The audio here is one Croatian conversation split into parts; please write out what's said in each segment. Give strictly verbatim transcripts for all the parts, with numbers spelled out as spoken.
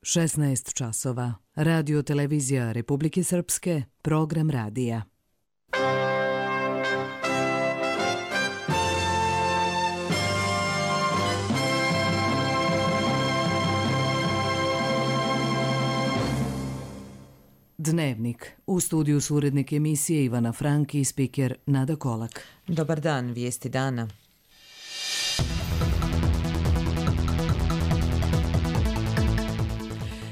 šesnaest časova. Radio televizija Republike Srpske, program radija. Dnevnik. U studiju su urednik emisije Ivana Frank i spiker Nada Kolak. Dobar dan, vijesti dana.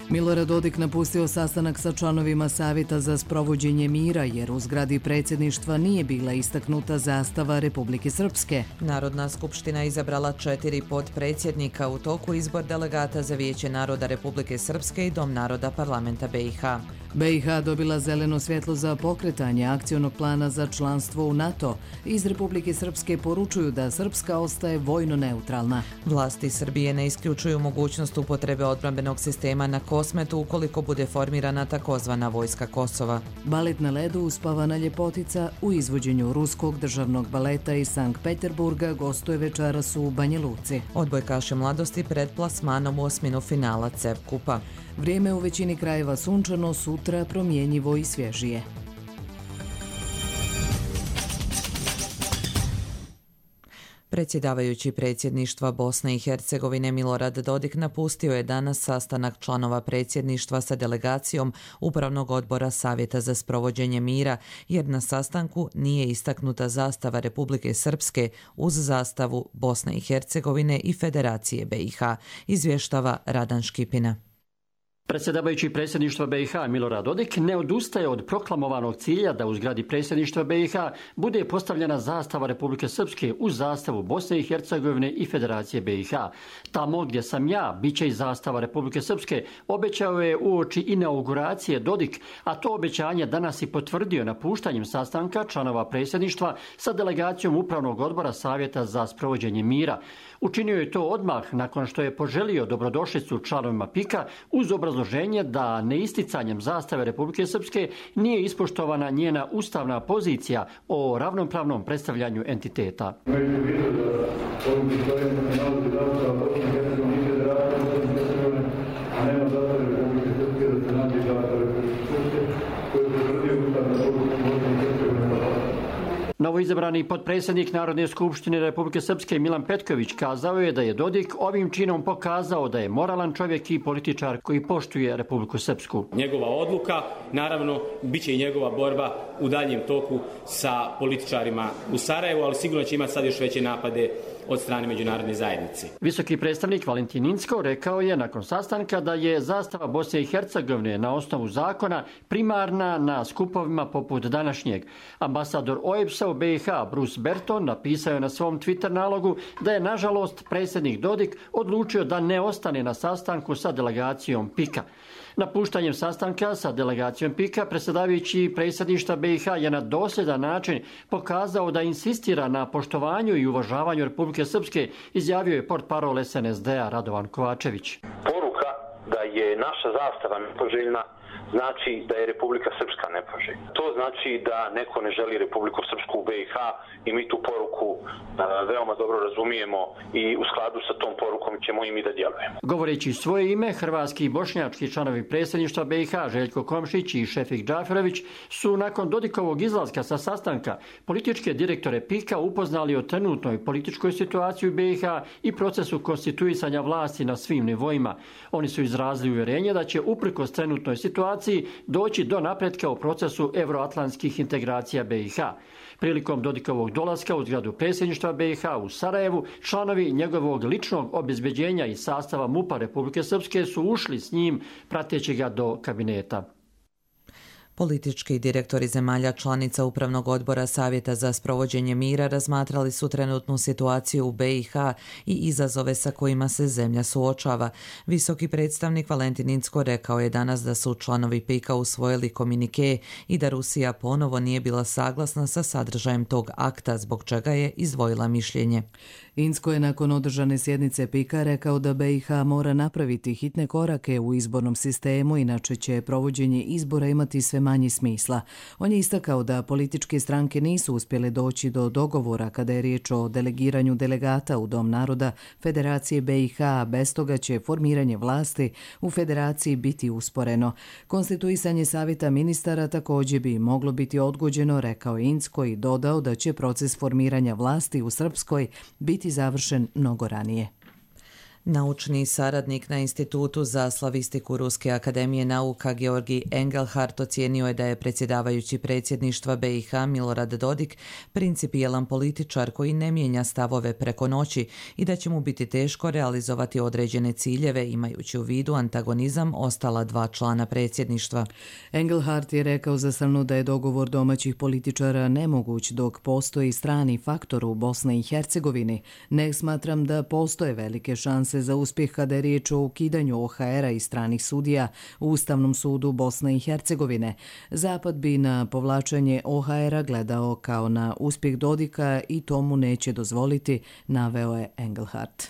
Milorad Dodik napustio sastanak sa članovima Savjeta za sprovođenje mira jer u zgradi predsjedništva nije bila istaknuta zastava Republike Srpske. Narodna skupština izabrala četiri potpredsjednika u toku izbor delegata za Vijeće naroda Republike Srpske i Dom naroda parlamenta B i H. B i H dobila zeleno svjetlo za pokretanje akcionog plana za članstvo u NATO. Iz Republike Srpske poručuju da Srpska ostaje vojno neutralna. Vlasti Srbije ne isključuju mogućnost upotrebe odbrambenog sistema na Kosmetu ukoliko bude formirana takozvana vojska Kosova. Balet na ledu Uspavana ljepotica u izvođenju Ruskog državnog baleta iz Sankt Peterburga gostuje večeras u Banja Luci. Odbojkaši mladosti pred plasmanom u osminu finala C E F kupa. Vrijeme u većini krajeva sunčano, sutra promjenjivo i svježije. Predsjedavajući predsjedništva Bosne i Hercegovine Milorad Dodik napustio je danas sastanak članova predsjedništva sa delegacijom Upravnog odbora Savjeta za sprovođenje mira, jer na sastanku nije istaknuta zastava Republike Srpske uz zastavu Bosne i Hercegovine i Federacije B i H, izvještava Radan Škipina. Predsjedavajući predsjedništva B i H Milorad Dodik ne odustaje od proklamovanog cilja da u zgradi predsjedništva B i H bude postavljena zastava Republike Srpske uz zastavu Bosne i Hercegovine i Federacije B i H. Tamo gdje sam ja, bit će i zastava Republike Srpske, obećao je uoči inauguracije Dodik, a to obećanje danas i potvrdio napuštanjem sastanka članova predsjedništva sa delegacijom Upravnog odbora Savjeta za sprovođenje mira. Učinio je to odmah nakon što je poželio dobrodošlicu članovima P I K-a uz obrazloženje da neisticanjem zastave Republike Srpske nije ispoštovana njena ustavna pozicija o ravnopravnom predstavljanju entiteta. Novoizabrani potpredsjednik Narodne skupštine Republike Srpske Milan Petković kazao je da je Dodik ovim činom pokazao da je moralan čovjek i političar koji poštuje Republiku Srpsku. Njegova odluka, naravno, bit će i njegova borba u daljem toku sa političarima u Sarajevu, ali sigurno će imati sad još veće napade od strane međunarodne zajednice. Visoki predstavnik Valentin Inzko rekao je nakon sastanka da je zastava Bosne i Hercegovine na osnovu zakona primarna na skupovima poput današnjeg. Ambasador O E B S-a u B i H Bruce Berton napisao je na svom Twitter nalogu da je nažalost predsjednik Dodik odlučio da ne ostane na sastanku sa delegacijom P I K-a. Napuštanjem sastanka sa delegacijom P I K-a predsjedavajući predsjedništva B i H je na dosljedan način pokazao da insistira na poštovanju i uvažavanju Republike Srpske, izjavio je portparol S N S D-a Radovan Kovačević. Poruka da je naša zastava nepoželjna znači da je Republika Srpska nepoželjna. To znači da neko ne želi Republiku Srpsku u B i H i mi tu poruku a, veoma dobro razumijemo i u skladu sa tom porukom ćemo i mi da djelujemo. Govoreći svoje ime, hrvatski i bošnjački članovi predsjedništva B i H Željko Komšić i Šefik Džaferović su nakon Dodikovog izlaska sa sastanka političke direktore P I K-a upoznali o trenutnoj političkoj situaciji u B i H i procesu konstituisanja vlasti na svim nivoima. Oni su izrazili uvjerenje da će uprkos trenutnoj situaciji doći do napretka u procesu evroatlantskih integracija B i H. Prilikom Dodikovog dolaska u zgradu predsjedništva B i H u Sarajevu, članovi njegovog ličnog obezbeđenja i sastava M U P-a Republike Srpske su ušli s njim prateći ga do kabineta. Politički direktori zemalja članica Upravnog odbora Savjeta za sprovođenje mira razmatrali su trenutnu situaciju u B i H i izazove sa kojima se zemlja suočava. Visoki predstavnik Valentin Inzko rekao je danas da su članovi P I K-a usvojili komunike i da Rusija ponovo nije bila saglasna sa sadržajem tog akta, zbog čega je izdvojila mišljenje. Incko je nakon održane sjednice Pika rekao da B i H mora napraviti hitne korake u izbornom sistemu, inače će provođenje izbora imati sve manji smisla. On je istakao da političke stranke nisu uspjele doći do dogovora kada je riječ o delegiranju delegata u Dom naroda Federacije B i H, bez toga će formiranje vlasti u Federaciji biti usporeno. Konstituisanje savjeta ministara također bi moglo biti odgođeno, rekao Incko i dodao da će proces formiranja vlasti u Srpskoj biti završen mnogo ranije. Naučni saradnik na Institutu za slavistiku Ruske akademije nauka Georgi Engelhardt ocijenio je da je predsjedavajući predsjedništva B i H Milorad Dodik principijelan političar koji ne mijenja stavove preko noći i da će mu biti teško realizovati određene ciljeve imajući u vidu antagonizam ostala dva člana predsjedništva. Engelhardt je rekao za Srnu da je dogovor domaćih političara nemoguć dok postoji strani faktor u Bosni i Hercegovini. Ne smatram da postoje velike šanse za uspjeh kada je riječ o ukidanju O H R-a i stranih sudija u Ustavnom sudu Bosne i Hercegovine. Zapad bi na povlačenje O H R-a gledao kao na uspjeh Dodika i tomu neće dozvoliti, naveo je Engelhardt.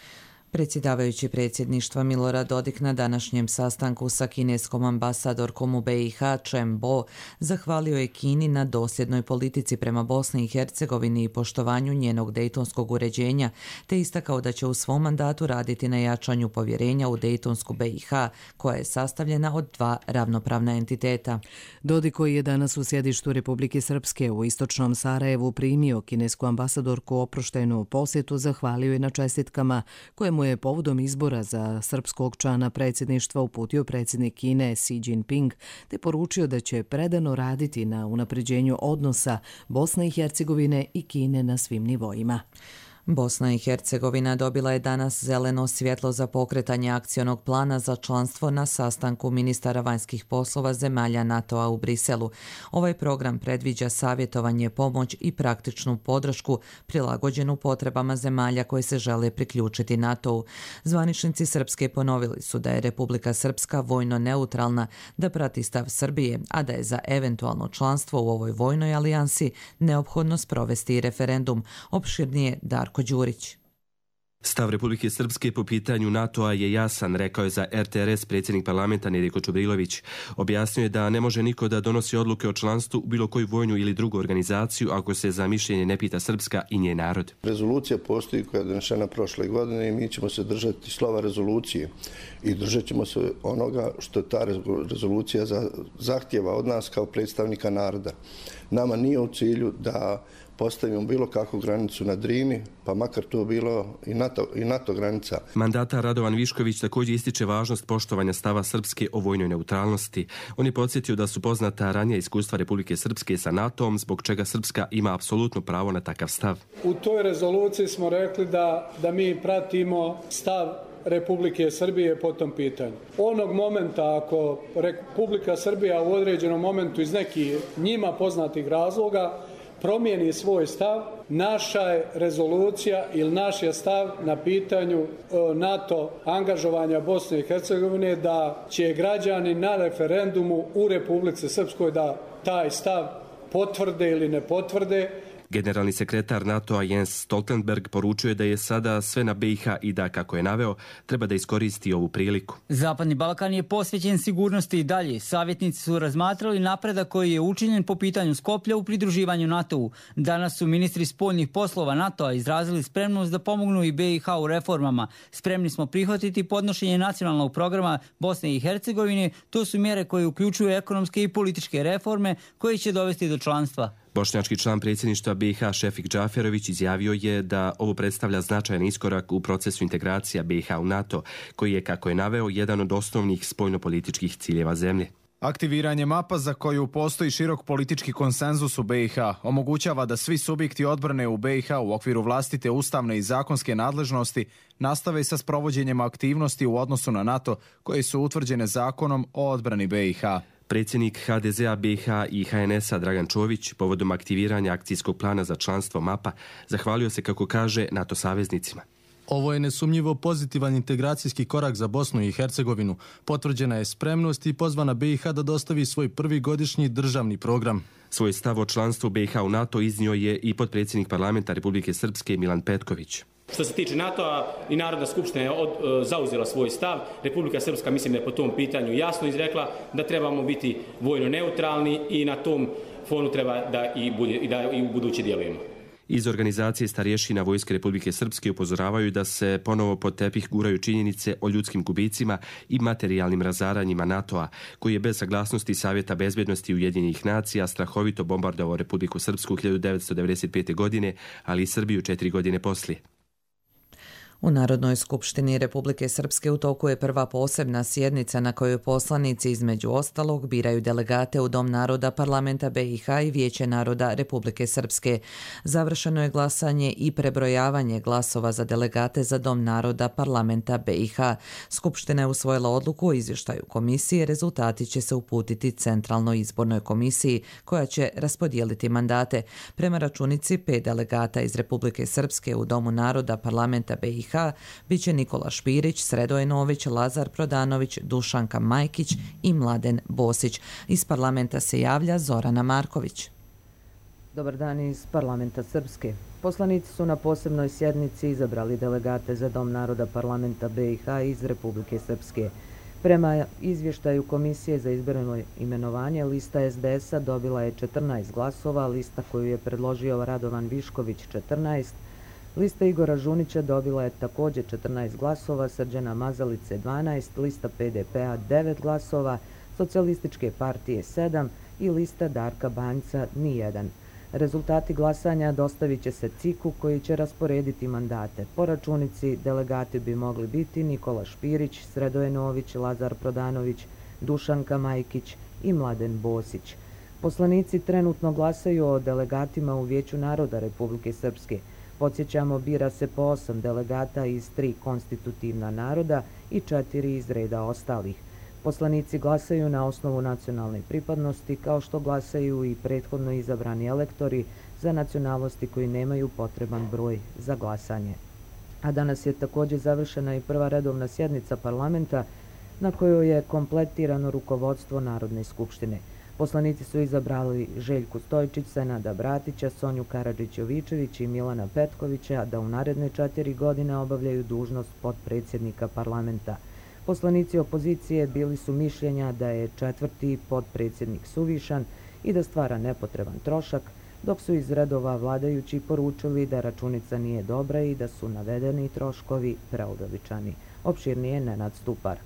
Predsjedavajući predsjedništva Milorad Dodik na današnjem sastanku sa kineskom ambasadorkom u B i H Chen Bo zahvalio je Kini na dosljednoj politici prema Bosni i Hercegovini i poštovanju njenog dejtonskog uređenja, te istakao da će u svom mandatu raditi na jačanju povjerenja u dejtonsku B i H, koja je sastavljena od dva ravnopravna entiteta. Dodik, koji je danas u sjedištu Republike Srpske u istočnom Sarajevu primio kinesku ambasadorku oproštenu posjetu, zahvalio je na čestitkama koje mu je povodom izbora za srpskog člana predsjedništva uputio predsjednik Kine Xi Jinping, te poručio da će predano raditi na unapređenju odnosa Bosne i Hercegovine i Kine na svim nivoima. Bosna i Hercegovina dobila je danas zeleno svjetlo za pokretanje akcionog plana za članstvo na sastanku ministara vanjskih poslova zemalja NATO-a u Briselu. Ovaj program predviđa savjetovanje, pomoć i praktičnu podršku prilagođenu potrebama zemalja koje se žele priključiti NATO-u. Zvaničnici Srpske ponovili su da je Republika Srpska vojno neutralna, da prati stav Srbije, a da je za eventualno članstvo u ovoj vojnoj alijansi neophodno sprovesti referendum. Opširnije Darko Đurić. Stav Republike Srpske po pitanju NATO-a je jasan, rekao je za R T R S predsjednik parlamenta Nedjeljko Čubrilović. Objasnio je da ne može niko da donosi odluke o članstvu u bilo koju vojnu ili drugu organizaciju ako se za mišljenje ne pita Srpska i njen narod. Rezolucija postoji koja je donešena prošle godine i mi ćemo se držati slova rezolucije i držat ćemo se onoga što ta rezolucija zahtjeva od nas kao predstavnika naroda. Nama nije u cilju da postavimo bilo kakvu granicu na Drini, pa makar to bilo i NATO, i NATO granica. Mandatar Radovan Višković također ističe važnost poštovanja stava Srpske o vojnoj neutralnosti. On je podsjetio da su poznata ranija iskustva Republike Srpske sa NATO-om, zbog čega Srpska ima apsolutno pravo na takav stav. U toj rezoluciji smo rekli da, da mi pratimo stav Republike Srbije po tom pitanju. Onog momenta ako Republika Srbija u određenom momentu iz nekih njima poznatih razloga promijeni svoj stav, naša je rezolucija ili naš je stav na pitanju NATO angažovanja Bosne i Hercegovine da će građani na referendumu u Republici Srpskoj da taj stav potvrde ili ne potvrde. Generalni sekretar NATO-a Jens Stoltenberg poručuje da je sada sve na B i H i da, kako je naveo, treba da iskoristi ovu priliku. Zapadni Balkan je posvećen sigurnosti i dalje. Savjetnici su razmatrali napredak koji je učinjen po pitanju Skoplja u pridruživanju NATO-u. Danas su ministri spoljnih poslova NATO-a izrazili spremnost da pomognu i B i H u reformama. Spremni smo prihvatiti podnošenje nacionalnog programa Bosne i Hercegovine. To su mjere koje uključuju ekonomske i političke reforme koje će dovesti do članstva. Bošnjački član predsjedništva B i H Šefik Džaferović izjavio je da ovo predstavlja značajan iskorak u procesu integracija B i H u NATO, koji je, kako je naveo, jedan od osnovnih spoljnopolitičkih ciljeva zemlje. Aktiviranje mapa za koju postoji širok politički konsenzus u B i H omogućava da svi subjekti odbrane u B i H u okviru vlastite ustavne i zakonske nadležnosti nastave sa sprovođenjem aktivnosti u odnosu na NATO koje su utvrđene zakonom o odbrani B i H. Predsjednik H D Z a B i H i H N S a Dragan Čović povodom aktiviranja akcijskog plana za članstvo mapa zahvalio se, kako kaže, NATO saveznicima. Ovo je nesumnjivo pozitivan integracijski korak za Bosnu i Hercegovinu. Potvrđena je spremnost i pozvana B i H da dostavi svoj prvi godišnji državni program. Svoj stav o članstvu B i H u NATO iznio je i potpredsjednik parlamenta Republike Srpske Milan Petković. Što se tiče NATO-a i Narodna skupština je od, zauzela svoj stav. Republika Srpska mislim da je po tom pitanju jasno izrekla da trebamo biti vojno neutralni i na tom fonu treba da i, bude, da i u budući djelujemo. Iz organizacije starješina Vojske Republike Srpske upozoravaju da se ponovo pod tepih guraju činjenice o ljudskim gubicima i materijalnim razaranjima NATO-a, koji je bez saglasnosti Savjeta bezbjednosti Ujedinjenih nacija strahovito bombardovao Republiku Srpsku hiljadu devetsto devedeset pete. godine, ali i Srbiju četiri godine poslije. U Narodnoj skupštini Republike Srpske u toku je prva posebna sjednica na kojoj poslanici između ostalog biraju delegate u Dom naroda Parlamenta B i H i Vijeće naroda Republike Srpske. Završeno je glasanje i prebrojavanje glasova za delegate za Dom naroda Parlamenta B i H. Skupština je usvojila odluku o izvještaju komisije, rezultati će se uputiti Centralnoj izbornoj komisiji koja će raspodijeliti mandate. Prema računici pet delegata iz Republike Srpske u Domu naroda Parlamenta B i H bit će Nikola Špirić, Sredoje Nović, Lazar Prodanović, Dušanka Majkić i Mladen Bosić. Iz parlamenta se javlja Zorana Marković. Dobar dan iz parlamenta Srpske. Poslanici su na posebnoj sjednici izabrali delegate za Dom naroda Parlamenta B i H iz Republike Srpske. Prema izvještaju Komisije za izborno imenovanje, lista S D S-a dobila je četrnaest glasova, lista koju je predložio Radovan Višković četrnaest, lista Igora Žunića dobila je također četrnaest glasova, Srđana Mazalice dvanaest, lista P D P-a devet glasova, Socijalističke partije sedam i lista Darka Banjca nijedan. Rezultati glasanja dostavit će se C I K-u koji će rasporediti mandate. Po računici delegati bi mogli biti Nikola Špirić, Sredoje Nović, Lazar Prodanović, Dušanka Majkić i Mladen Bosić. Poslanici trenutno glasaju o delegatima u Vijeću naroda Republike Srpske. Podsjećamo, bira se po osam delegata iz tri konstitutivna naroda i četiri iz reda ostalih. Poslanici glasaju na osnovu nacionalne pripadnosti, kao što glasaju i prethodno izabrani elektori za nacionalnosti koji nemaju potreban broj za glasanje. A danas je također završena i prva redovna sjednica parlamenta na kojoj je kompletirano rukovodstvo Narodne skupštine. Poslanici su izabrali Željku Stojčić, Senada Bratića, Sonju Karadžić-Jovičević i Milana Petkovića da u naredne četiri godine obavljaju dužnost potpredsjednika parlamenta. Poslanici opozicije bili su mišljenja da je četvrti potpredsjednik suvišan i da stvara nepotreban trošak, dok su iz redova vladajući poručili da računica nije dobra i da su navedeni troškovi preuveličani. Opširnije Nenad Stupar.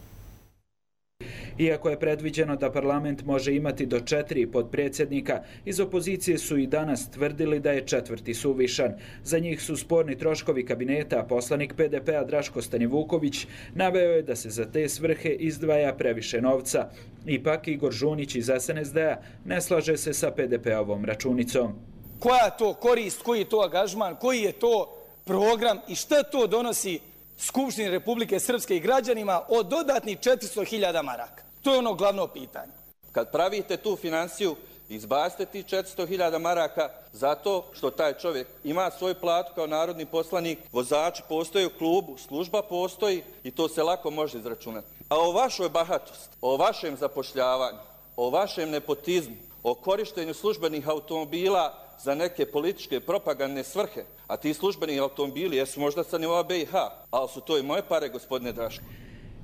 Iako je predviđeno da parlament može imati do četiri potpredsjednika, iz opozicije su i danas tvrdili da je četvrti suvišan. Za njih su sporni troškovi kabineta, a poslanik P D P-a Draško Stanivuković naveo je da se za te svrhe izdvaja previše novca. Ipak Igor Žunić iz S N S D-a ne slaže se sa P D P-ovom računicom. Koja je to korist, koji je to angažman, koji je to program i šta to donosi Skupštini Republike Srpske i građanima od dodatnih četiristo hiljada maraka? To je ono glavno pitanje. Kad pravite tu finansiju, izbacite ti četiristo hiljada maraka zato što taj čovjek ima svoju platu kao narodni poslanik, vozači postoje u klubu, služba postoji i to se lako može izračunati. A o vašoj bahatosti, o vašem zapošljavanju, o vašem nepotizmu, o korištenju službenih automobila za neke političke propagandne svrhe, a ti službeni automobili jesu možda sa nivoa B i H, ali su to i moje pare, gospodine Draško.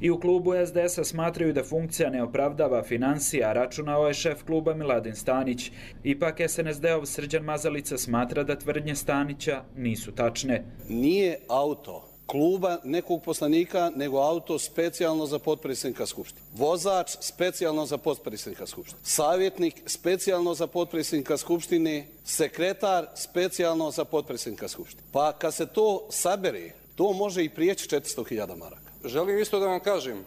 I u klubu S D S-a smatraju da funkcija ne opravdava finansija, računao je šef kluba Miladin Stanić. Ipak S N S D-ov Srđan Mazalica smatra da tvrdnje Stanića nisu tačne. Nije auto kluba nekog poslanika, nego auto specijalno za potpredsjednika Skupštine. Vozač specijalno za potpredsjednika Skupštine. Savjetnik specijalno za potpredsjednika Skupštine. Sekretar specijalno za potpredsjednika Skupštine. Pa kad se to sabere, to može i prijeći četiristo hiljada maraka. Želim isto da vam kažem,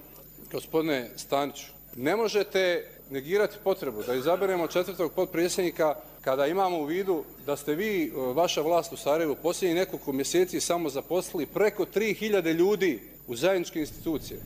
gospodine Staniću, ne možete negirati potrebu da izaberemo četvrtog potpredsjednika kada imamo u vidu da ste vi, vaša vlast u Sarajevu, posljednjih nekoliko mjeseci samo zaposlili preko tri hiljade ljudi u zajedničke institucije.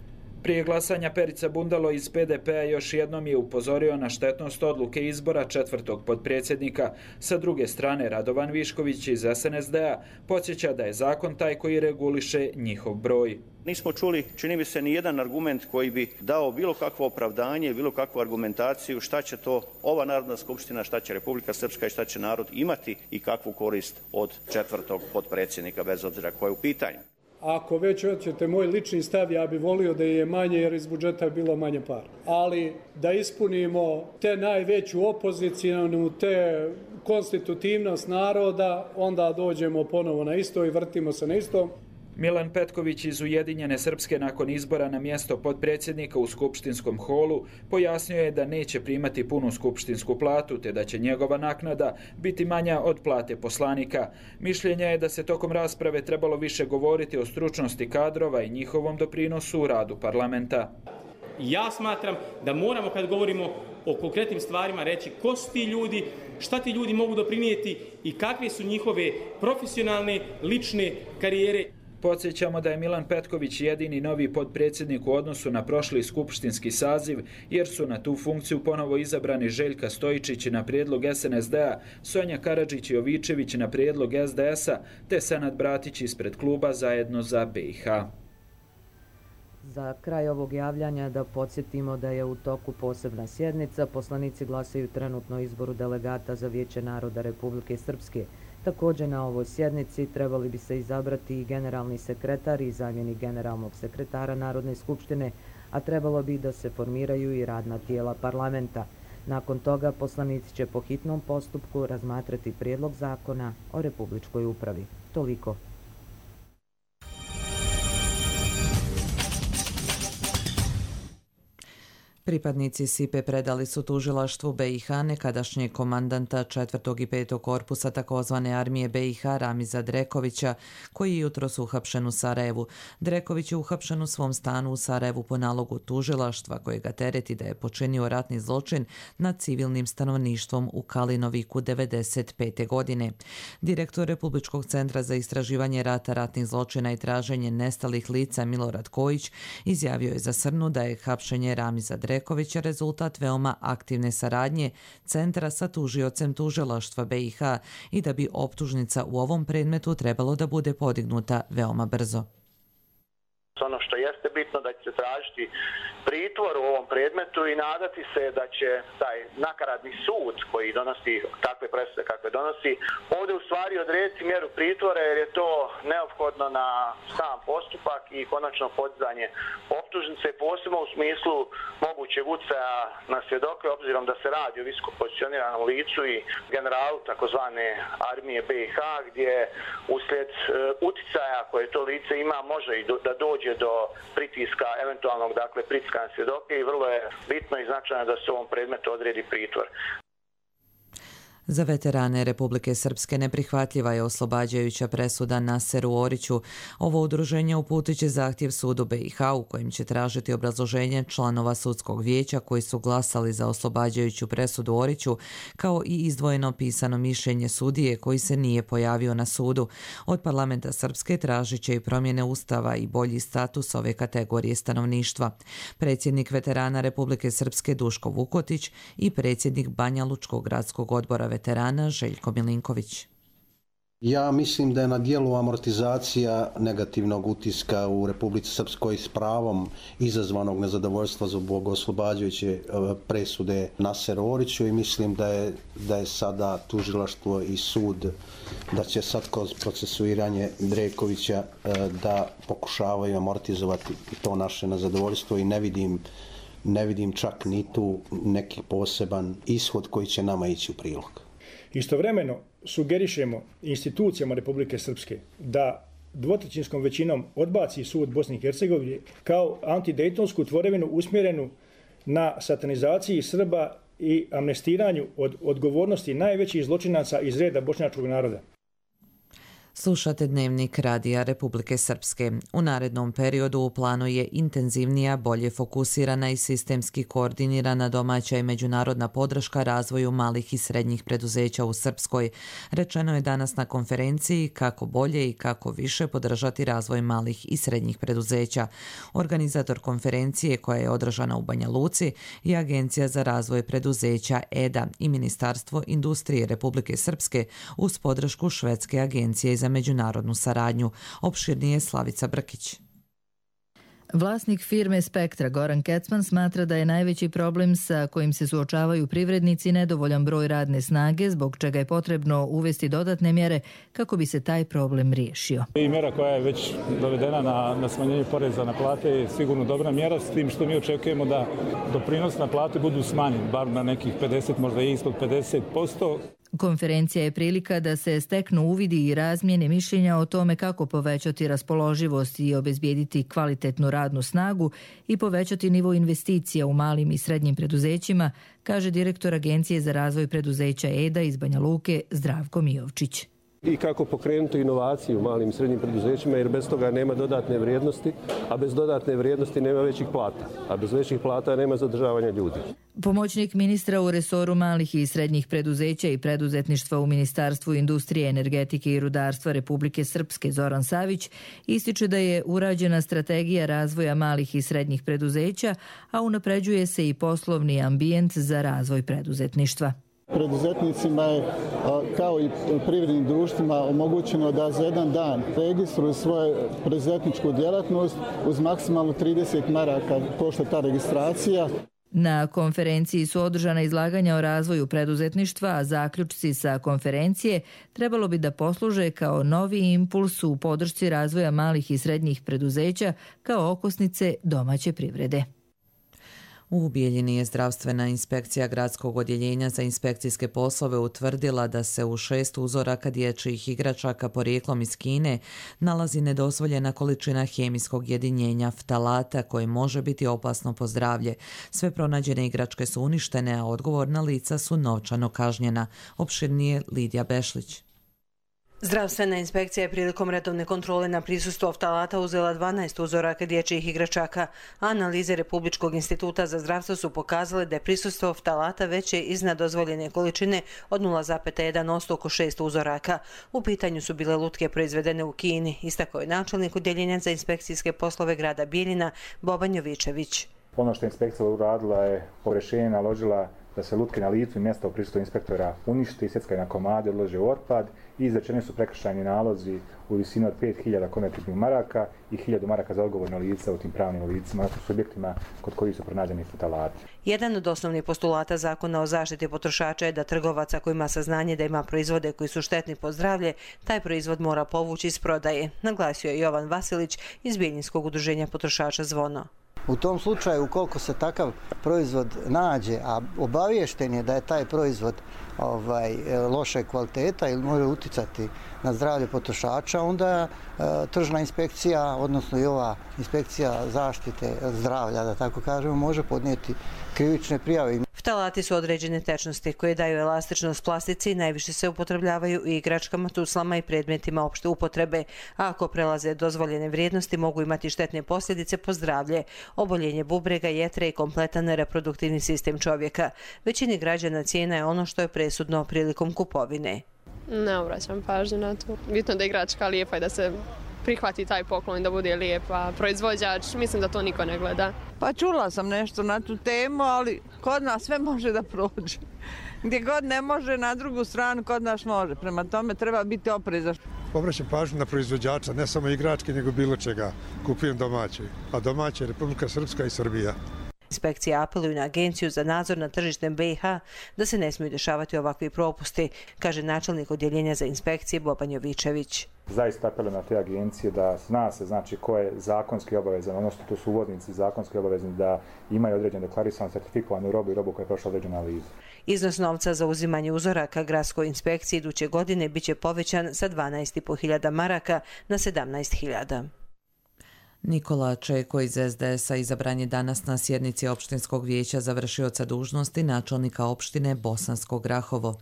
Prije glasanja Perica Bundalo iz P D P-a još jednom je upozorio na štetnost odluke izbora četvrtog potpredsjednika. Sa druge strane, Radovan Višković iz S N S D-a podsjeća da je zakon taj koji reguliše njihov broj. Nismo čuli, čini mi se, ni jedan argument koji bi dao bilo kakvo opravdanje, bilo kakvu argumentaciju šta će to ova Narodna skupština, šta će Republika Srpska i šta će narod imati i kakvu korist od četvrtog potpredsjednika, bez obzira koje je u pitanju. Ako već hoćete moj lični stav, ja bih volio da je manje jer iz budžeta je bilo manje para. Ali da ispunimo te najveću opozicijanu, te konstitutivnost naroda, onda dođemo ponovo na isto i vrtimo se na isto. Milan Petković iz Ujedinjene Srpske nakon izbora na mjesto potpredsjednika u skupštinskom holu pojasnio je da neće primati punu skupštinsku platu te da će njegova naknada biti manja od plate poslanika. Mišljenje je da se tokom rasprave trebalo više govoriti o stručnosti kadrova i njihovom doprinosu u radu parlamenta. Ja smatram da moramo, kad govorimo o konkretnim stvarima, reći ko su ti ljudi, šta ti ljudi mogu doprinijeti i kakve su njihove profesionalne, lične karijere. Podsjećamo da je Milan Petković jedini novi potpredsjednik u odnosu na prošli skupštinski saziv, jer su na tu funkciju ponovo izabrani Željka Stojičić na prijedlog S N S D-a, Sonja Karadžić-Jovičević na prijedlog S D S-a, te Senad Bratić ispred kluba Zajedno za B i H. Za kraj ovog javljanja da podsjetimo da je u toku posebna sjednica. Poslanici glasaju trenutno o izboru delegata za Vijeće naroda Republike Srpske. Također na ovoj sjednici trebali bi se izabrati i generalni sekretar i zamjenik generalnog sekretara Narodne skupštine, a trebalo bi da se formiraju i radna tijela parlamenta. Nakon toga poslanici će po hitnom postupku razmatrati prijedlog zakona o republičkoj upravi. Toliko. Pripadnici S I P-e predali su tužilaštvu B i H nekadašnjeg komandanta četvrtog i petog korpusa takozvane armije B i H Ramiza Drekovića, koji je jutros uhapšen u Sarajevu. Dreković je uhapšen u svom stanu u Sarajevu po nalogu tužilaštva, koje ga tereti da je počinio ratni zločin nad civilnim stanovništvom u Kalinoviku devedeset pete. godine. Direktor Republičkog centra za istraživanje rata, ratnih zločina i traženje nestalih lica Milorad Kojić izjavio je za Srnu da je hapšenje Ramiza Drekovića Dreković je rezultat veoma aktivne saradnje centra sa tužiocem tužilaštva B i H i da bi optužnica u ovom predmetu trebalo da bude podignuta veoma brzo. Ono što jeste bitno da će se tražiti pritvor u ovom predmetu i nadati se da će taj nakaradni sud koji donosi takve presude kakve donosi ovdje u stvari odrediti mjeru pritvora, jer je to neophodno na sam postupak i konačno podizanje optužnice, posebno u smislu mogućeg utjecaja na svjedoke, obzirom da se radi o visoko pozicioniranom licu i generalu takozvane armije B i H, gdje uslijed utjecaja koje to lice ima može i do, da dođe do pritiska, eventualnog dakle pritiska na svjedoke, i vrlo je bitno i značajno da se u ovom predmetu odredi pritvor. Za veterane Republike Srpske neprihvatljiva je oslobađajuća presuda Naseru Oriću. Ovo udruženje uputit će zahtjev sudu B i H u kojem će tražiti obrazloženje članova sudskog vijeća koji su glasali za oslobađajuću presudu Oriću, kao i izdvojeno pisano mišljenje sudije koji se nije pojavio na sudu. Od parlamenta Srpske tražit će i promjene ustava i bolji status ove kategorije stanovništva. Predsjednik veterana Republike Srpske Duško Vukotić i predsjednik Banja Lučkog gradskog odbora veterana Željko Milinković. Ja mislim da je na dijelu amortizacija negativnog utiska u Republici Srpskoj s pravom izazvanog nezadovoljstva zbog oslobađajuće presude Naseru Oriću, i mislim da je, da je sada tužilaštvo i sud, da će sad kroz procesuiranje Drekovića da pokušavaju amortizovati to naše nezadovoljstvo, i ne vidim ne vidim čak ni tu neki poseban ishod koji će nama ići u prilog. Istovremeno sugerišemo institucijama Republike Srpske da dvotrećinskom većinom odbaci sud Bosne i Hercegovine kao antidejtonsku tvorevinu usmjerenu na satanizaciji Srba i amnestiranju od odgovornosti najvećih zločinaca iz reda bošnjačkog naroda. Slušate dnevnik Radija Republike Srpske. U narednom periodu u planu je intenzivnija, bolje fokusirana i sistemski koordinirana domaća i međunarodna podrška razvoju malih i srednjih preduzeća u Srpskoj. Rečeno je danas na konferenciji kako bolje i kako više podržati razvoj malih i srednjih preduzeća. Organizator konferencije, koja je održana u Banja Luci, je Agencija za razvoj preduzeća E D A i Ministarstvo industrije Republike Srpske uz podršku Švedske agencije za međunarodnu saradnju. Opširnije Slavica Brkić. Vlasnik firme Spektra Goran Kecman smatra da je najveći problem sa kojim se suočavaju privrednici nedovoljan broj radne snage, zbog čega je potrebno uvesti dodatne mjere kako bi se taj problem riješio. I mjera koja je već dovedena na, na smanjenje poreza na plate je sigurno dobra mjera, s tim što mi očekujemo da doprinos na plate budu smanjeni, bar na nekih pedeset, možda i ispod pedeset posto. Konferencija je prilika da se steknu uvidi i razmjene mišljenja o tome kako povećati raspoloživost i obezbijediti kvalitetnu radnu snagu i povećati nivo investicija u malim i srednjim preduzećima, kaže direktor Agencije za razvoj preduzeća E D A iz Banja Luke Zdravko Mijovčić. I kako pokrenuti inovaciju u malim i srednjim preduzećima, jer bez toga nema dodatne vrijednosti, a bez dodatne vrijednosti nema većih plata, a bez većih plata nema zadržavanja ljudi. Pomoćnik ministra u resoru malih i srednjih preduzeća i preduzetništva u Ministarstvu industrije, energetike i rudarstva Republike Srpske Zoran Savić ističe da je urađena strategija razvoja malih i srednjih preduzeća, a unapređuje se i poslovni ambijent za razvoj preduzetništva. Preduzetnicima je, kao i privrednim društvima, omogućeno da za jedan dan registruju svoju preduzetničku djelatnost uz maksimalno trideset maraka košta ta registracija. Na konferenciji su održana izlaganja o razvoju preduzetništva, a zaključci sa konferencije trebalo bi da posluže kao novi impuls u podršci razvoja malih i srednjih preduzeća kao okosnice domaće privrede. U Bijeljini je zdravstvena inspekcija gradskog odjeljenja za inspekcijske poslove utvrdila da se u šest uzoraka dječjih igračaka porijeklom iz Kine nalazi nedozvoljena količina hemijskog jedinjenja ftalata koje može biti opasno po zdravlje. Sve pronađene igračke su uništene, a odgovorna lica su novčano kažnjena. Opširnije Lidija Bešlić. Zdravstvena inspekcija je prilikom redovne kontrole na prisustvo ftalata uzela dvanaest uzoraka dječjih igračaka. Analize Republičkog instituta za zdravstvo su pokazale da je prisustvo ftalata veće iznad dozvoljene količine od nula zarez jedan posto oko šest uzoraka. U pitanju su bile lutke proizvedene u Kini, istakao je načelnik odjeljenja za inspekcijske poslove grada Bijeljina Boban Jovičević. Ono što je inspekcija uradila je po rješenju naložila da se lutke na licu i mjesta u prisustvu inspektora unište, isjeckaju na komade, odlože u otpad i izrečeni su prekršajni nalozi u visini od pet hiljada konvertibilnih maraka i hiljadu maraka za odgovorno lice u tim pravnim licima, odnosno subjektima kod kojih su pronađeni ftalati. Jedan od osnovnih postulata zakona o zaštiti potrošača je da trgovac ako ima saznanje da ima proizvode koji su štetni po zdravlje, taj proizvod mora povući iz prodaje, naglasio je Jovan Vasilić iz Bijeljinskog udruženja potrošača Zvono. U tom slučaju, ukoliko se takav proizvod nađe, a obaviješten je da je taj proizvod ovaj, loše kvaliteta ili može uticati na zdravlje potrošača, onda e, tržna inspekcija, odnosno i ova inspekcija zaštite zdravlja, da tako kažemo, može podnijeti krivične prijave. Ftalati su određene tečnosti koje daju elastičnost plastici i najviše se upotrebljavaju u igračkama, tuslama i predmetima opšte upotrebe, a ako prelaze dozvoljene vrijednosti mogu imati štetne posljedice po zdravlje, oboljenje bubrega, jetre i kompletan reproduktivni sistem čovjeka. Većini građana cijena je ono što je presudno prilikom kupovine. Ne obraćam pažnju na to. Bitno da je igračka lijepa i da se prihvati taj poklon da bude lijepa. Proizvođač, mislim da to niko ne gleda. Pa čula sam nešto na tu temu, ali kod nas sve može da prođe. Gdje god ne može, na drugu stranu kod nas može. Prema tome treba biti oprezan. Obraćam pažnju na proizvođača, ne samo igračke, nego bilo čega. Kupujem domaće, a domaće je Republika Srpska i Srbija. Inspekcija apeluju na Agenciju za nadzor nad tržištem B i H da se ne smiju dešavati ovakvi propusti, kaže načelnik odjeljenja za inspekcije Boban Jovičević. Zaista apelujem na te agencije da zna se znači ko je zakonski obavezan, odnosno to su uvoznici zakonski obavezni da imaju određenu deklarisanu certifikovanu robu i robu koja je prošla određenu analizu. Iznos novca za uzimanje uzoraka gradskoj inspekciji iduće godine biće povećan sa dvanaest i po hiljada maraka na sedamnaest hiljada. Nikola Čeko iz es de es a izabran je danas na sjednici opštinskog vijeća za vršioca dužnosti načelnika opštine Bosansko Grahovo.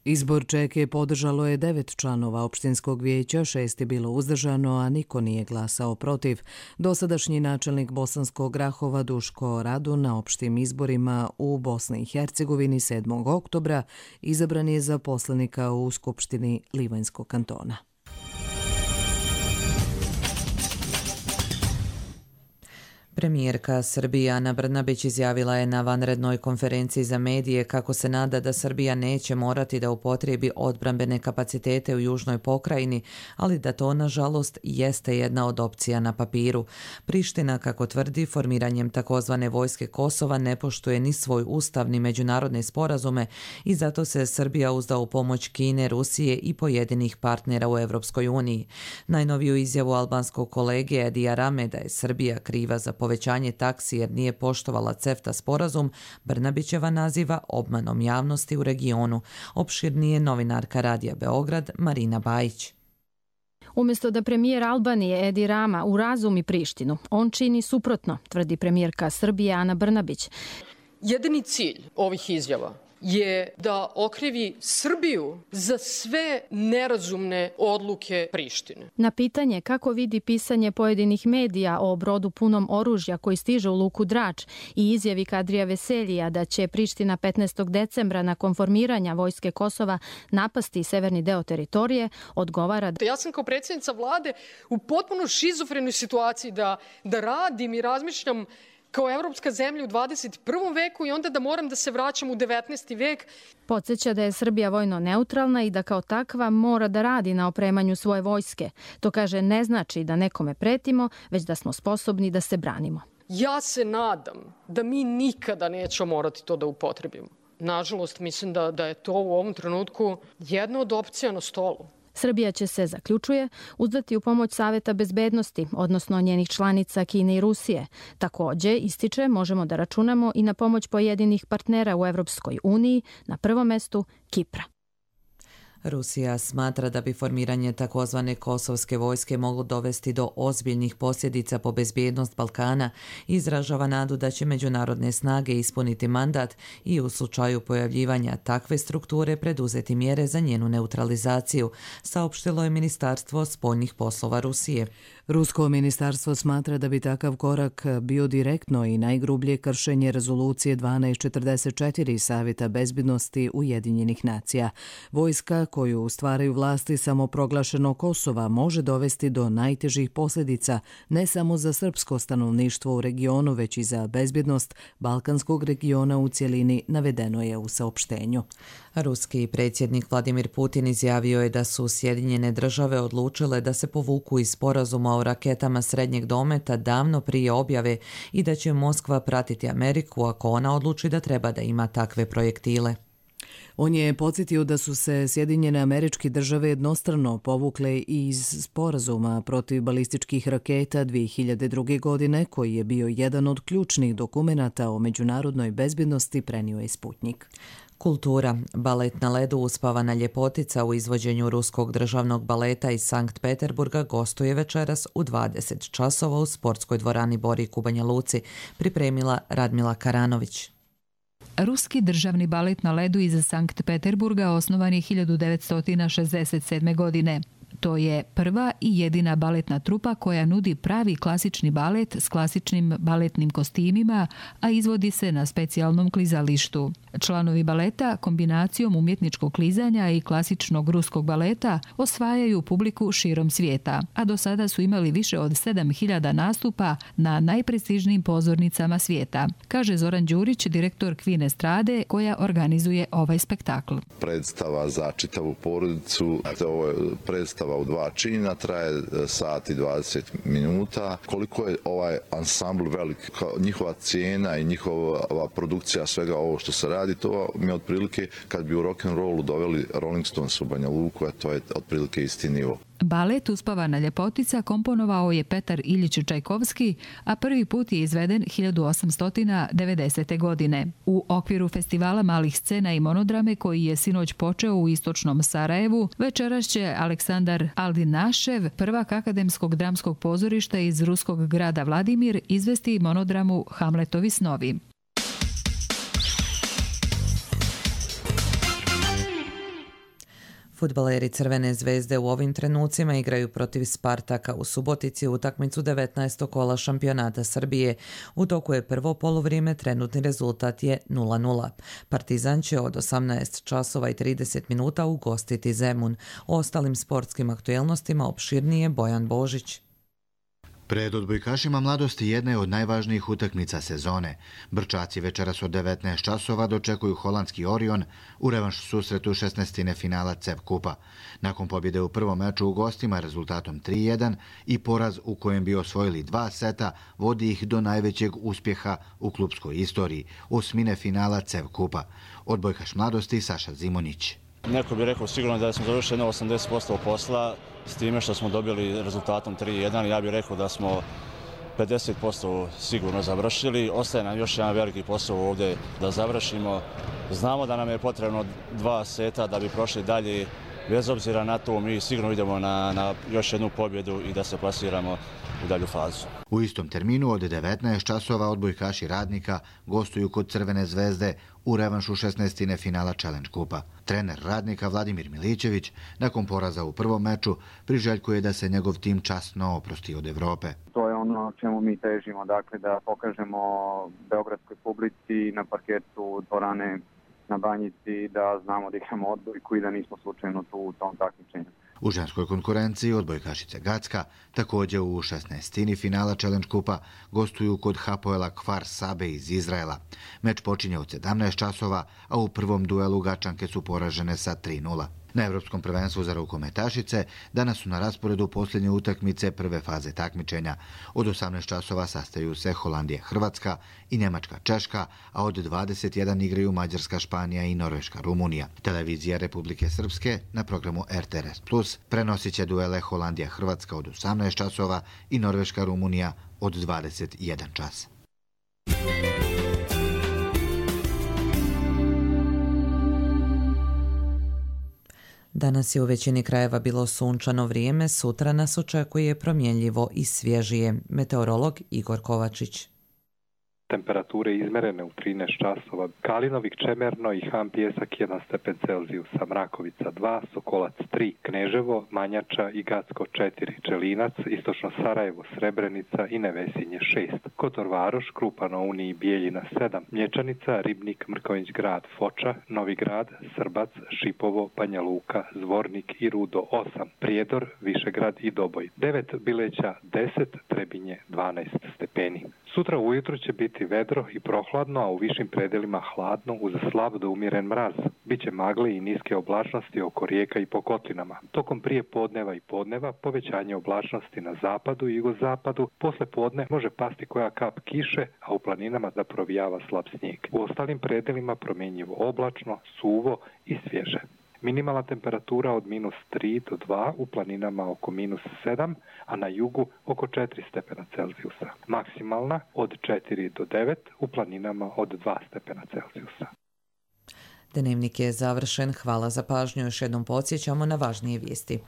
Izbor Čeke podržalo je devet članova opštinskog vijeća, šest je bilo uzdržano, a niko nije glasao protiv. Dosadašnji načelnik Bosanskog Grahova Duško Radun na opštim izborima u Bosni i Hercegovini sedmog oktobra izabran je za poslanika u Skupštini Livanjskog kantona. Premijerka Srbije Ana Brnabić izjavila je na vanrednoj konferenciji za medije kako se nada da Srbija neće morati da upotrijebi odbrambene kapacitete u južnoj pokrajini, ali da to, nažalost, jeste jedna od opcija na papiru. Priština, kako tvrdi, formiranjem takozvane vojske Kosova ne poštuje ni svoj ustav ni međunarodne sporazume i zato se Srbija uzda u pomoć Kine, Rusije i pojedinih partnera u Evropskoj uniji. Najnoviju izjavu albanskog kolege Edija Rame da je Srbija kriva za povećanje taksi jer nije poštovala CEFTA sporazum, Brnabićeva naziva obmanom javnosti u regionu. Opširnije novinarka Radija Beograd Marina Bajić. Umjesto da premijer Albanije Edi Rama urazumi Prištinu, on čini suprotno, tvrdi premijerka Srbije Ana Brnabić. Jedini cilj ovih izjava je da okrivi Srbiju za sve nerazumne odluke Prištine. Na pitanje kako vidi pisanje pojedinih medija o brodu punom oružja koji stiže u luku Drač i izjavi Kadrija Veseljija da će Priština petnaestog decembra nakon formiranja vojske Kosova napasti severni deo teritorije, odgovara: Ja sam kao predsjednica vlade u potpuno šizofrenoj situaciji da, da radim i razmišljam kao evropska zemlja u dvadeset prvom veku i onda da moram da se vraćam u devetnaesti vek. Podsjeća da je Srbija vojno neutralna i da kao takva mora da radi na opremanju svoje vojske. To, kaže, ne znači da nekome pretimo, već da smo sposobni da se branimo. Ja se nadam da mi nikada nećemo morati to da upotrebimo. Nažalost, mislim da, da je to u ovom trenutku jedna od opcija na stolu. Srbija će se, zaključuje, uzdati u pomoć Saveta bezbednosti, odnosno njenih članica Kine i Rusije. Također, ističe, možemo da računamo i na pomoć pojedinih partnera u Evropskoj uniji, na prvom mestu Kipra. Rusija smatra da bi formiranje takozvane kosovske vojske moglo dovesti do ozbiljnih posljedica po bezbjednost Balkana i izražava nadu da će međunarodne snage ispuniti mandat i u slučaju pojavljivanja takve strukture preduzeti mjere za njenu neutralizaciju, saopštilo je Ministarstvo spoljnih poslova Rusije. Rusko ministarstvo smatra da bi takav korak bio direktno i najgrublje kršenje rezolucije dvanaest četrdeset četiri Savjeta bezbjednosti Ujedinjenih nacija. Vojska koju stvaraju vlasti samoproglašenog Kosova može dovesti do najtežih posljedica ne samo za srpsko stanovništvo u regionu, već i za bezbjednost balkanskog regiona u cjelini, navedeno je u saopštenju. Ruski predsjednik Vladimir Putin izjavio je da su Sjedinjene države odlučile da se povuku iz sporazuma o raketama srednjeg dometa davno prije objave i da će Moskva pratiti Ameriku ako ona odluči da treba da ima takve projektile. On je podsjetio da su se Sjedinjene Američke Države jednostrano povukle iz sporazuma protiv balističkih raketa dvije hiljade druge. godine, koji je bio jedan od ključnih dokumenata o međunarodnoj bezbjednosti, prenio je Sputnjik. Kultura. Balet na ledu Uspavana ljepotica u izvođenju Ruskog državnog baleta iz Sankt Peterburga gostuje večeras u dvadeset časova u sportskoj dvorani Borik u Banja Luci, pripremila Radmila Karanović. Ruski državni balet na ledu iz Sankt Peterburga osnovan je hiljadu devetsto šezdeset sedme. godine. To je prva i jedina baletna trupa koja nudi pravi klasični balet s klasičnim baletnim kostimima, a izvodi se na specijalnom klizalištu. Članovi baleta kombinacijom umjetničkog klizanja i klasičnog ruskog baleta osvajaju publiku širom svijeta, a do sada su imali više od sedam hiljada nastupa na najprestižnijim pozornicama svijeta, kaže Zoran Đurić, direktor Kvin Estrade, koja organizuje ovaj spektakl. Predstava za čitavu porodicu, ovo je predstava u dva čina, traje sat i dvadeset minuta. Koliko je ovaj ansambl velik, njihova cijena i njihova produkcija svega ovo što se radi, to mi je otprilike kad bi u rock'n'rollu doveli Rolling Stones u Banja Luku, a to je otprilike isti nivo. Balet Uspavana ljepotica komponovao je Petar Iljić Čajkovski, a prvi put je izveden hiljadu osamsto devedesete. godine. U okviru festivala malih scena i monodrame koji je sinoć počeo u istočnom Sarajevu, večeras će Aleksandar Aldinašev, prvak akademskog dramskog pozorišta iz ruskog grada Vladimir, izvesti monodramu Hamletovi snovi. Fudbaleri Crvene zvezde u ovim trenucima igraju protiv Spartaka u Subotici utakmicu devetnaestog kola šampionata Srbije. U toku je prvo poluvrijeme, trenutni rezultat je nula nula. Partizan će od osamnaest časova i trideset minuta ugostiti Zemun. O ostalim sportskim aktuelnostima opširnije Bojan Božić. Pred odbojkašima mladosti jedna je od najvažnijih utakmica sezone. Brčaci večeras od devetnaest časova dočekuju holandski Orion u revanš susretu šesnaestine finala C E F Kupa. Nakon pobjede u prvom meču u gostima rezultatom tri jedan i poraz u kojem bi osvojili dva seta vodi ih do najvećeg uspjeha u klupskoj istoriji, osmine finala C E F Kupa. Odbojkaš mladosti Saša Zimonjić. Neko bi rekao sigurno da smo završili osamdeset posto posla, s time što smo dobili rezultatom tri jedan. Ja bih rekao da smo pedeset posto sigurno završili. Ostaje nam još jedan veliki posao ovdje da završimo. Znamo da nam je potrebno dva seta da bi prošli dalje. Bez obzira na to, mi sigurno idemo na, na još jednu pobjedu i da se plasiramo u dalju fazu. U istom terminu od devetnaest časova odbojkaši Radnika gostuju kod Crvene zvezde u revanšu šesnaestine finala Challenge Kupa. Trener Radnika Vladimir Milićević nakon poraza u prvom meču priželjkuje da se njegov tim časno oprosti od Evrope. To je ono čemu mi težimo, dakle da pokažemo beogradskoj publici na parketu dvorane na Banjici da znamo da igramo odbojku i da nismo slučajno tu u tom takmičenju. U ženskoj konkurenciji odbojkašice Gacka također u šesnaestini finala Challenge Kupa gostuju kod Hapoela Kfar Sabe iz Izraela. Meč počinje od sedamnaest časova, a u prvom duelu Gačanke su poražene sa tri nula. Na Evropskom prvenstvu za rukometašice danas su na rasporedu posljednje utakmice prve faze takmičenja. Od osamnaest časova sastaju se Holandija Hrvatska i Njemačka Češka, a od dvadeset jedan igraju Mađarska Španija i Norveška Rumunija. Televizija Republike Srpske na programu R T R S Plus prenosit će duele Holandija Hrvatska od osamnaest časova i Norveška Rumunija od dvadeset jedan čas. Danas je u većini krajeva bilo sunčano vrijeme, sutra nas očekuje promjenljivo i svježije. Meteorolog Igor Kovačić. Temperature izmerene u trinaest časova. Kalinovik, Čemerno i Han Pjesak jedan stepen Celzijusa, Mrakovica dva, Sokolac tri, Kneževo, Manjača i Gacko četiri, Čelinac, Istočno Sarajevo, Srebrenica i Nevesinje šest, Kotor Varoš, Krupa na Uni i Bijeljina sedam, Mlječanica, Ribnik, Mrkonjić Grad, Foča, Novi Grad, Srbac, Šipovo, Banja Luka, Zvornik i Rudo osam, Prijedor, Višegrad i Doboj devet, Bileća deset, Trebinje dvanaest stepeni. Sutra ujutro će biti vedro i prohladno, a u višim predelima hladno uz slab do umjeren mraz. Biće magle i niske oblačnosti oko rijeka i po kotlinama. Tokom prije podneva i podneva povećanje oblačnosti na zapadu i jugozapadu. Posle podne može pasti koja kap kiše, a u planinama da provijava slab snijeg. U ostalim predelima promjenjivo oblačno, suvo i svježe. Minimalna temperatura od minus tri do dva, u planinama oko minus sedam, a na jugu oko četiri stepena Celzijusa. Maksimalna od četiri do devet, u planinama od dva stepena Celzijusa. Dnevnik je završen. Hvala za pažnju. Još jednom podsjećamo na važnije vijesti.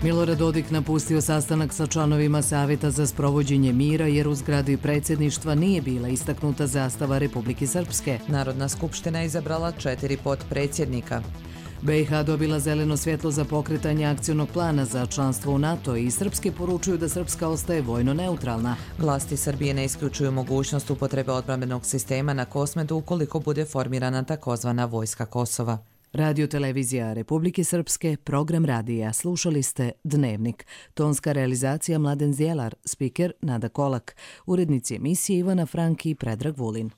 Milorad Dodik napustio sastanak sa članovima Savjeta za sprovođenje mira jer u zgradi predsjedništva nije bila istaknuta zastava Republike Srpske. Narodna skupština je izabrala četiri potpredsjednika. B i H dobila zeleno svjetlo za pokretanje akcionog plana za članstvo u NATO i Srpske poručuju da Srpska ostaje vojno neutralna. Vlasti Srbije ne isključuju mogućnost upotrebe odbrambenog sistema na Kosmetu ukoliko bude formirana takozvana Vojska Kosova. Radio televizija Republike Srpske, program radija. Slušali ste Dnevnik. Tonska realizacija Mladen Zjelar, spiker Nada Kolak, urednici emisije Ivana Franki i Predrag Vulin.